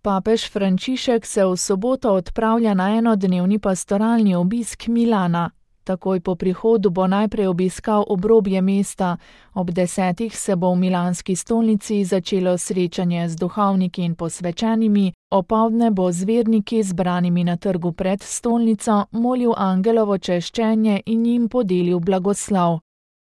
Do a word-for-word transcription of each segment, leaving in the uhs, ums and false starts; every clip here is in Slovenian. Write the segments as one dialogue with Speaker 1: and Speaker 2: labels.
Speaker 1: Papež Frančišek se v soboto odpravlja na enodnevni pastoralni obisk Milana. Takoj po prihodu bo najprej obiskal obrobje mesta. Ob desetih se bo v milanski stolnici začelo srečanje z duhovniki in posvečenimi, opoldne bo z verniki zbranimi na trgu pred stolnico molil angelovo češčenje in jim podelil blagoslov.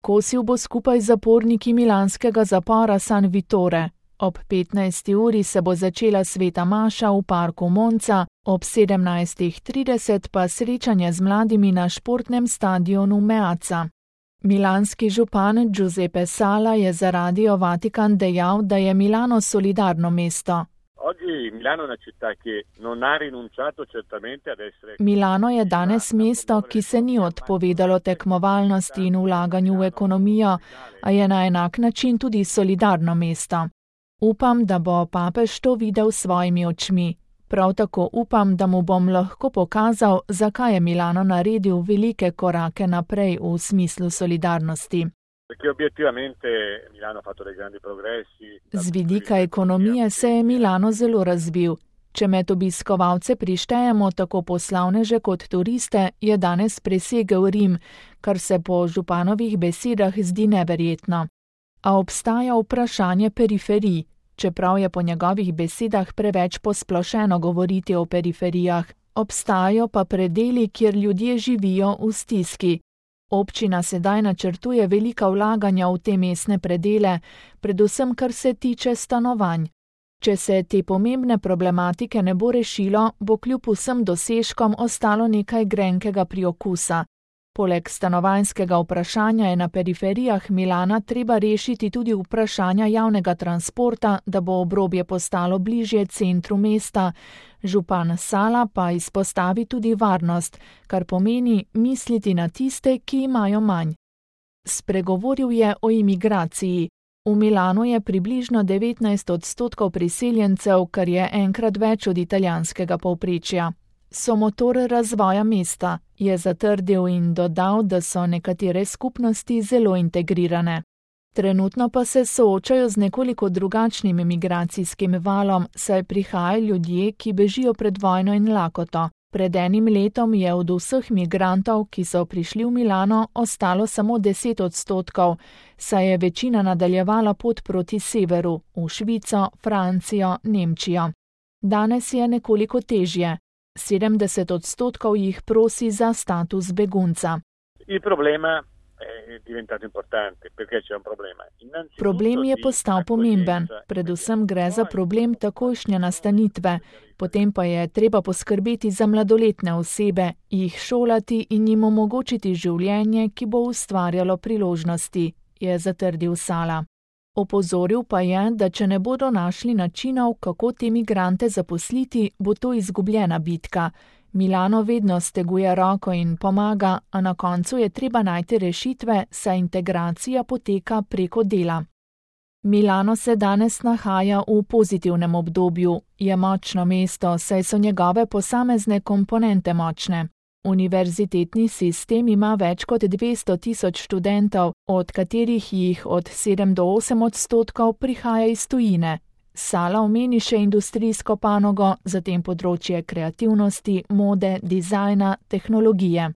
Speaker 1: Kosil bo skupaj z zaporniki milanskega zapora San Vittore. Ob petnajsti uri se bo začela sveta maša v parku Monza, ob sedemnajstih trideset pa srečanje z mladimi na športnem stadionu Meazza. Milanski župan Giuseppe Sala je za Radio Vatikan dejal, da je Milano solidarno mesto. Milano je danes mesto, ki se ni odpovedalo tekmovalnosti in vlaganju v ekonomijo, a je na enak način tudi solidarno mesto. Upam, da bo papež to videl s svojimi očmi. Prav tako upam, da mu bom lahko pokazal, zakaj je Milano naredil velike korake naprej v smislu solidarnosti. Z vidika ekonomije se je Milano zelo razvil. Če med obiskovalce prištejemo tako poslovneže kot turiste, je danes presegel Rim, kar se po županovih besedah zdi neverjetno. A obstaja vprašanje periferij, čeprav je po njegovih besedah preveč posplošeno govoriti o periferijah, obstajajo pa predeli, kjer ljudje živijo v stiski. Občina sedaj načrtuje velika vlaganja v te mestne predele, predvsem kar se tiče stanovanj. Če se te pomembne problematike ne bo rešilo, bo kljub vsem dosežkom ostalo nekaj grenkega priokusa. Poleg stanovanjskega vprašanja je na periferijah Milana treba rešiti tudi vprašanja javnega transporta, da bo obrobje postalo bližje centru mesta. Župan Sala pa izpostavi tudi varnost, kar pomeni misliti na tiste, ki imajo manj. Spregovoril je o imigraciji. V Milanu je približno devetnajst odstotkov priseljencev, kar je enkrat več od italijanskega povprečja. So motor razvoja mesta, je zatrdil in dodal, da so nekatere skupnosti zelo integrirane. Trenutno pa se soočajo z nekoliko drugačnim migracijskim valom, saj prihajajo ljudje, ki bežijo pred vojno in lakoto. Pred enim letom je od vseh migrantov, ki so prišli v Milano, ostalo samo deset odstotkov, saj je večina nadaljevala pot proti severu, v Švico, Francijo, Nemčijo. Danes je nekoliko težje. sedemdeset odstotkov jih prosi za status begunca. Problem je postal pomemben, predvsem gre za problem takojšnje nastanitve, potem pa je treba poskrbeti za mladoletne osebe, jih šolati in jim omogočiti življenje, ki bo ustvarjalo priložnosti, je zatrdil Sala. Opozoril pa je, da če ne bodo našli načinov, kako te migrante zaposliti, bo to izgubljena bitka. Milano vedno steguje roko in pomaga, a na koncu je treba najti rešitve, saj integracija poteka preko dela. Milano se danes nahaja v pozitivnem obdobju. Je močno mesto, saj so njegove posamezne komponente močne. Univerzitetni sistem ima več kot dvesto tisoč študentov, od katerih jih od sedem do osem odstotkov prihaja iz tujine. Sala omeni še industrijsko panogo, zatem področje kreativnosti, mode, dizajna, tehnologije.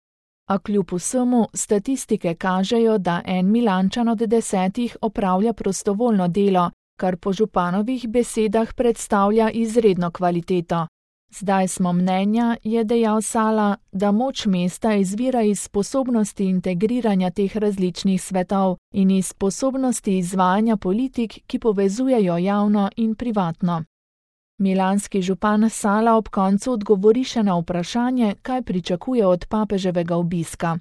Speaker 1: A kljub vsemu statistike kažejo, da en Milančan od desetih opravlja prostovoljno delo, kar po županovih besedah predstavlja izredno kvaliteto. Zdaj smo mnenja, je dejal Sala, da moč mesta izvira iz sposobnosti integriranja teh različnih svetov in iz sposobnosti izvajanja politik, ki povezujejo javno in privatno. Milanski župan Sala ob koncu odgovori še na vprašanje, kaj pričakuje od papeževega obiska.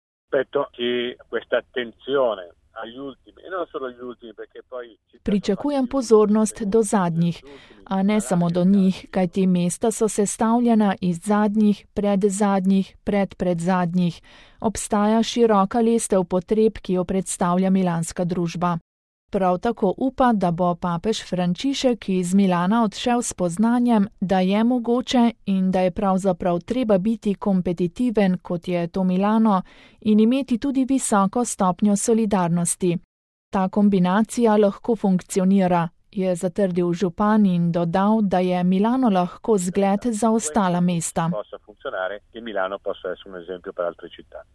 Speaker 1: Pričakujem pozornost do zadnjih, a ne samo do njih, kajti mesta so sestavljena iz zadnjih, predzadnjih, predpredzadnjih. Obstaja široka lestev potreb, ki jo predstavlja milanska družba. Prav tako upa, da bo papež Frančišek iz Milana odšel s spoznanjem, da je mogoče in da je pravzaprav treba biti kompetitiven, kot je to Milano, in imeti tudi visoko stopnjo solidarnosti. Ta kombinacija lahko funkcionira, je zatrdil župan in dodal, da je Milano lahko zgled za ostala mesta.